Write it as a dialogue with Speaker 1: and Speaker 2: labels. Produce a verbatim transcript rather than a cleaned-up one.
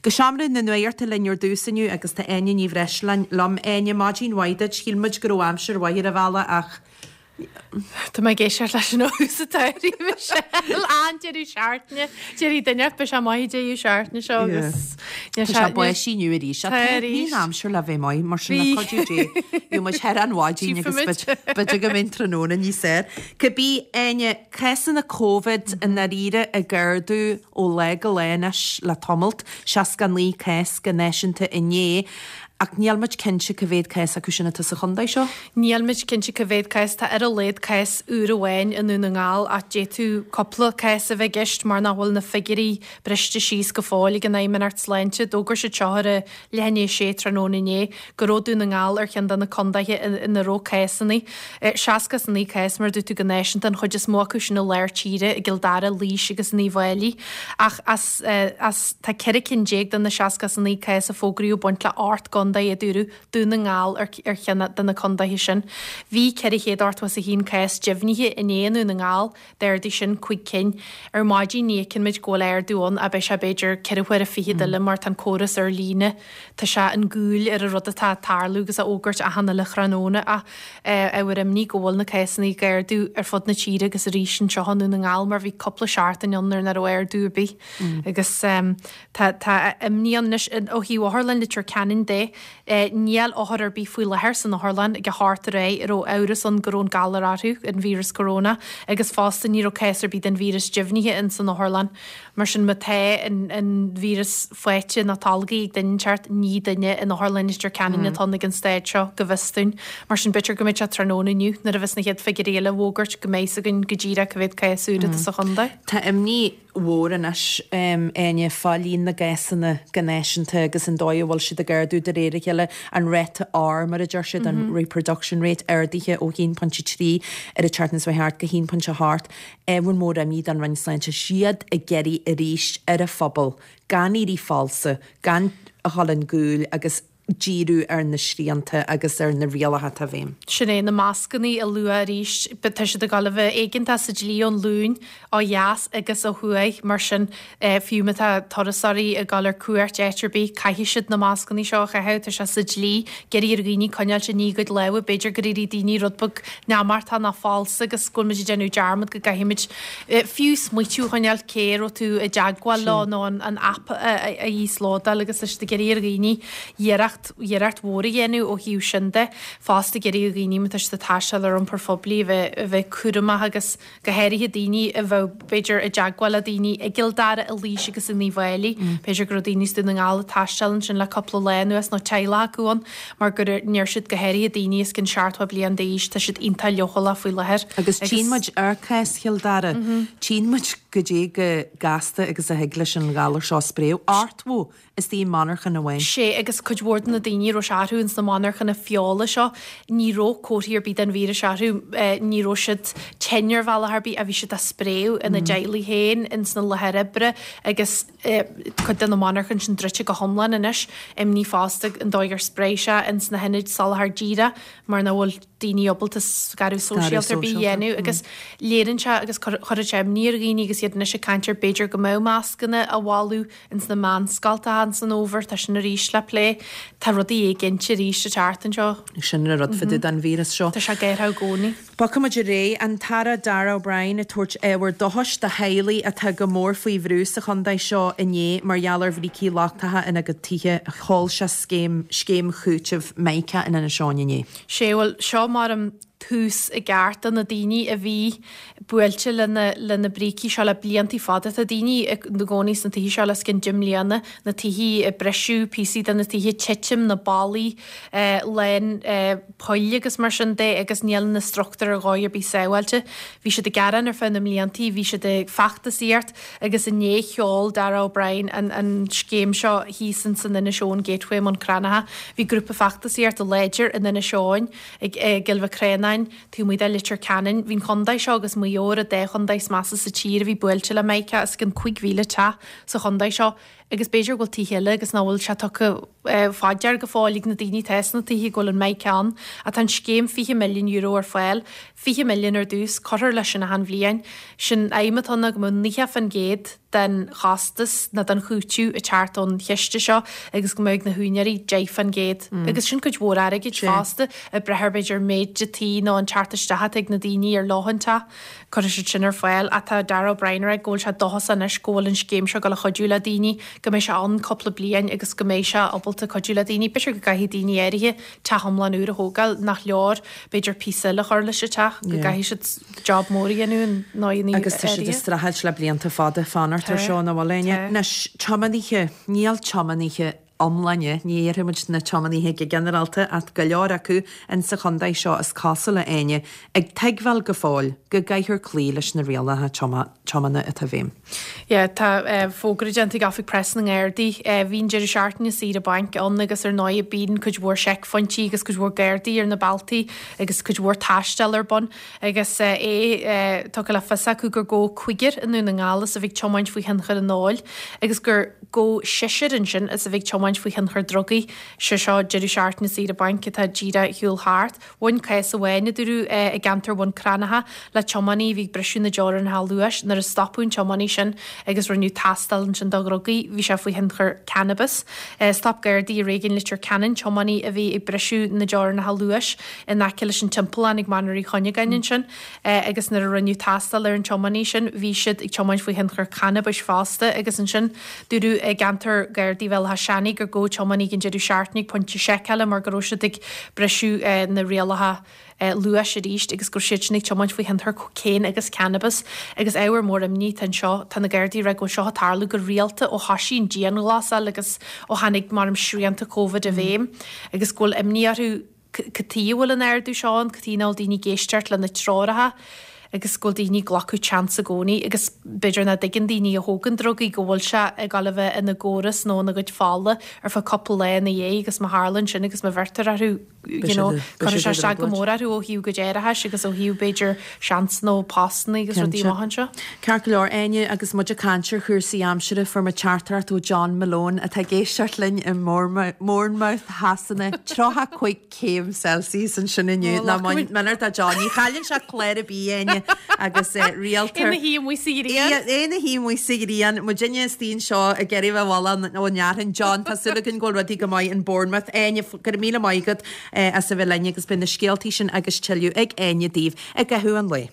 Speaker 1: Go seomra na nuachta linn ar dtús inniu agus tá Áine Ní Bhreisleáin liom. Áine, maidin mhaith duit. Shíl muid go raibh aimsir mhaith ar an bhealach ach
Speaker 2: Tá mé ag éisteacht leis an óús atá Michelle an deireadh seachtaine Déirí duine be sé maith deireadh seachtaine seo agus
Speaker 1: Tá sé báistí inniu arís.
Speaker 2: Tá arís.
Speaker 1: Bhí aimsir le bheith maith mar sin le cuidiú Dé. Bhí muid thar an mhaidin agus b'fhéidir go mbeidh tráthnóna níos fearr. Cibé, Áine, cásanna Covid i ndáiríre ag ardú ó lá go lá anois le tamalt, seasca naoi cás go náisiúnta inné. Ach níl muid cinnte cá mhéad cás acu sin atá sa chontae seo?
Speaker 2: Níl muid cinnte cá mhéad cás. Tá ar a laghad cás úr amháin i nDún na nGall ach d'fhéadfadh cúpla cás a bheith i gceist mar nach bhfuil na figiúirí briste síos go fóill ag an Fheidhmeannacht Sláinte. D'fhógair siad seo ar a leath i ndiaidh a sé tráthnóna inné go raibh Dún na nGall ar cheann de na contaetha ina raibh cásanna. Seasca is a naoi cás mar a dúirt tú go náisiúnta, an chuid is mó acu sin i lár tíre, i gCill Dara, Laois agus in Uíbh Fhailí. Ach as as tá ceithre cinn déag de na seasca is a naoi cás a fógraíodh ag baint le ocht gcontae a dúradh, Dún na nGall ar ar cheann de na contaetha sin. Bhí ceithre chéad ochtó is a haon cás deimhnithe inné i nDún na nGall, d'ardaigh sin cúig cinn. Ar maidin ní fheiceann muid go bhfuil ardú ann ach beidh sé b'fhéidir ceithre huaire fichead eile mar tá an córas ar líne, tá sé in gcúl ar an rud atá ag tarlú agus á fhógairt achan uile thráthnóna ach ábhar imní go bhfuil na cásanna ag ardú ar fud na tíre agus arís anseo i nDún na nGall mar bhí cúpla seachtain ann nuair nach raibh ardú ar bith agus tá tá imní ann anois ó thaobh Otharlann Leitir Ceanainn de. Níl othar ar bith faoi láthair san otharlann ag a hocht aréir a raibh amhras ann go raibh an galar orthu, an víreas corona, agus fosta ní raibh cás ar bith den víreas deimhnithe ins an otharlann. Mar sin má tá an an víreas faighte nó tolgtha ag duine inteacht, ní duine in Otharlann Leitir Ceanainn atá ann ag an staid seo, go bhfios dúinn. Mar sin b'fhéidir go mbeidh sé tráthnóna inniu nuair a bheas na chéad figiúirí eile á bhfógairt go mbeidh 's againn go díreach cá mhéad cás úr atá sa chontae.
Speaker 1: Tá imní mhór anois, Áine, fá líon na gcásanna go náisiúnta agus an dóigh a bhfuil siad ag ardú de réir a chéile, an ráta R mar a deir siad, an reproduction rate, ardaithe ó haon pointe trí ar an tseachtain seo thart go haon pointe a hocht. Ábhar mór imní don Roinn Sláinte. Siad ag iarraidh arís ar an phobal gan éirí falsa, gan a dhul in gcúl agus díriú ar na srianta agus ar na rialacha atá i bhfeidhm.
Speaker 2: Sin é, na mascannaí a lua arís. Tá siad ag dul a bheith éigeantach sa dlí ón Luan ó dheas agus ó thuaidh, mar sin fiú má tá turasóirí ag dul ar cuairt áit ar bith, caithfidh siad na mascannaí seo a chaitheamh, tá sé sa dlí. Ag iarraidh ar dhaoine coinneáilt i ndiaidh a gcuid lámha, b'fhéidir gur éirigh daoine rud beag neamartach nó falsa agus go bhfuil muid ag déanamh dearmad go gcaithfimid fiú smaoitiú a choinneáil cé a raibh tú i dteagmháil leo nó an aip a íoslódáil agus tá siad ag iarraidh ar dhaoine iarracht iarracht mhór a dhéanamh ó thaobh sin de. Fosta ag iarraidh ar dhaoine má tá siad ag taisteal ar iompar phoiblí a bheith a bheith cúramach agus go háirithe daoine a bheadh b'fhéidir i dteagmháil le daoine i gCill Dara, i Laois agus in Uíbh Fhailí. B'fhéidir go raibh daoine as Dún na nGall ag taisteal ansin le cúpla lá anuas nó teaghlach acu ann mar go ndeir siad go háirithe daoine os cionn seachtó bliain d'aois tá siad iontach leochaileach faoi láthair.
Speaker 1: Agus tchíonn muid ar cás Chill Dara, tchíonn muid goidé chomh gasta agus a thig leis an ghalar seo spréadh. Ochtó istigh i monarchan amháin.
Speaker 2: Sé agus cuid mhór de na daoine a raibh sé orthu ins na monarchana feola seo, ní raibh comharthaí ar bith den víreas orthu, ní raibh siad tinn ar bhealach ar bith ach bhí siad á spréadh ina dteaghlaigh féin, ins na láthair oibre agus cuid de na monarchain sin druidte go hiomlán anois. Imní fosta an dóigh ar spréigh sé ins na hionaid soláthar díreach mar nach bhfuil daoine ábalta scaradh sóisialta ar bith a dhéanamh agus léiríonn sé agus cuireann sé imní ar dhaoine agus iad anois ag caint ar b'fhéidir go mbeadh mascanna á mholadh ins na meánscoltacha ins an fhómhar, tá sin arís le plé. Tá rudaí éiginnte arís ag teacht anseo.
Speaker 1: Sin an rud fá dtaobh den víreas seo.
Speaker 2: Tá sé ag athrú i gcónaí.
Speaker 1: Bogfaidh muid ar aghaidh. An tAire Darragh O'Brien ag tabhairt ábhar dóchais do theaghlaigh atá go mór faoi bhrú sa chontae seo inné mar gheall ar bhrící lochtacha ina gcuid tithe. Sheol sé scéim scéim chúitimh Mica in Inis Eoghain inné.
Speaker 2: Sé, bhuel, seo mar an tús i gceart do na daoine a bhí buailte le na le na brící seo le bliantaí fada. Tá daoine ina gcónaí sna tithe seo le os cionn deich mbliana, na tithe ag briseadh, píosaí de na tithe, titim na ballaí lán poill agus mar sin de agus níl na struchtúir ar dhóigh ar bith sábháilte. Bhí siad ag gearán ar feadh na mbliantaí, bhí siad ag feachtasaíocht agus inné sheol Darragh O'Brien an an scéim seo thíos in san Inis Eoghain Gateway i mBun Cranncha. Bhí grúpa feachtasaíochta láidir in Inis Eoghain ag i gCill Mhic Réanáin, taobh amuigh de Leitir Ceanainn. Bhí an chontae seo agus Maigh Eo ar an dá chontae is measa sa tír a bhí buailte le Mica, os cionn cúig mhíle teach sa chontae seo Agus b'fhéidir go bhfuil tithe eile agus nach bhfuil sé tugtha fá dear go fóill ag na daoine atá sna tithe go bhfuil an mhic ann. Ach tá an scéim fiche milliún euro ar fáil, fiche milliún ar dtús, cuirfear leis sin achan bhliain. Sin aidhm atá ann ná go mbeadh naocha fán gcéad den chostas nó den chúiteamh ag teacht ón chiste seo agus go mbeadh ag na húinéirí deich fán gcéad. Agus sin cuid mhór airgid fosta, ag brath ar b'fhéidir méid an tí nó an teacht isteach atá ag na daoine ar luach an teach. Cuirfidh siad sin ar fáil. Ach tá Darragh O'Brien ag rá go bhfuil sé dóchasach anois go bhfuil an scéim seo ag dul a chuidiú le daoine, go mbeidh sé ann cúpla bliain agus go mbeidh sé ábalta cuidiú le daoine. B'fhéidir go gcaithfidh daoine áirithe teach iomlán úr a thógáil, nach leor b'fhéidir píosa eile a chur leis an teach, go gcaithfidh siad job mór a dhéanamh in ndóigheanna
Speaker 1: Agus tá siad ag
Speaker 2: áirithe.
Speaker 1: streachailt le blianta fada fanacht ar
Speaker 2: Tá.
Speaker 1: seo, nach bhfuil Áine?
Speaker 2: Tá.
Speaker 1: Anois, tiománaithe, níl tiománaithe iomláine, ní dhéarfaidh muid na tiománaithe go ginearálta ach go leor acu insa chontae seo is cosúil a Áine, ag tuigbheáil go fóill go gcaithfear cloí leis na rialacha tiomána atá i bhfeidhm.
Speaker 2: Yeah, tá fógra déanta ag Oifig Preasa na nGardaí. Bhí an deireadh seachtaine saoire bainc ann agus ar ndóigh bíonn cuid mhór seicphointí agus cuid mhór Gardaí ar na bealtaí agus cuid mhór taisteal ar bun agus é tugtha le fios acu gur gabhadh cúigear i nDún na nGall as a bheith ag tiomáint faoi thionchar an óil agus gur gabhadh seisear ansin as a bheith ag tiomáint faoi thionchar drugaí. Sé seo deireadh seachtaine saoire bainc atá díreach ar shiúl thart. Bhain cás amháin, a dúradh, i gceantar Bhun Cranncha le tiománaí a bhí ag briseadh na dteorainneacha luais nuair a stopadh an tiománaí sin agus rinneadh tástáil ansin dá dhrugaí, bhí sé faoi thionchar cannabais. Stop Gardaí i réigiún Leitir Ceanainn tiománaí a bhí ag briseadh na dteorainneacha luais in aice leis an timpeallán ag Mainéar Uí Chuinneagáin ansin agus nuair a rinneadh tástáil ar an tiománaí sin bhí siad ag tiomáint faoi thionchar cannabais fosta agus ansin dúradh i gceantar Gardaí Bhéal Átha Seanaidh gur gabhadh tiománaí ag an deireadh seachtaine ag pointe seiceála mar go raibh siad ag briseadh na rialacha luais arís agus go raibh siad sin ag tiomáint faoi thionchar cocaine agus cannabis agus ábhar mór imní atá anseo. Tá na Gardaí ag rá go bhfuil seo ag tarlú go rialta ó thosaigh an dianghlasáil agus ó tháinig mar srianta Covid i bhfeidhm agus go bhfuil imní orthu cad chuige a bhfuil an ardú seo ann, cad chuige nach bhfuil daoine ag éisteacht le na treoracha agus go bhfuil daoine ag glacadh chance i gcónaí agus b'fhéidir nach dtuigeann daoine a thógann drugaí go bhfuil sé ag dul a bheith ina gcóras nó ina gcuid fola ar feadh cúpla lá ina dhiaidh agus má tharlaíonn sin agus má bheirtear orthu you know, cuirfidh sé isteach go mór orthu ó thaobh a gcuid aireachais agus ó thaobh b'fhéidir seans nó postanna agus rudaí amach anseo.
Speaker 1: Ceart go leor, Áine, agus muid ag caint ar chúrsaí aimsire fuair muid teachtaireacht ó John Malone atá ag éisteacht linn i mBournemouth Shasana tríocha cúig céim Celsius ansin inniu ná Minard a John ní chailleann sé clár ar bith Áine agus rialtar
Speaker 2: Ina shuí amuigh sa ghrian.
Speaker 1: É ina shuí amuigh sa ghrian muidinne istigh anseo ag iarraidh bheith abhaile ón fhearthainn John tá súil againn go bhfuil rudaí go maith in Bournemouth Áine go raibh míle maith agat as a bheith linn agus beidh na scéaltaí sin agus tuilleadh ag Áine daoibh i gcaitheamh an lae.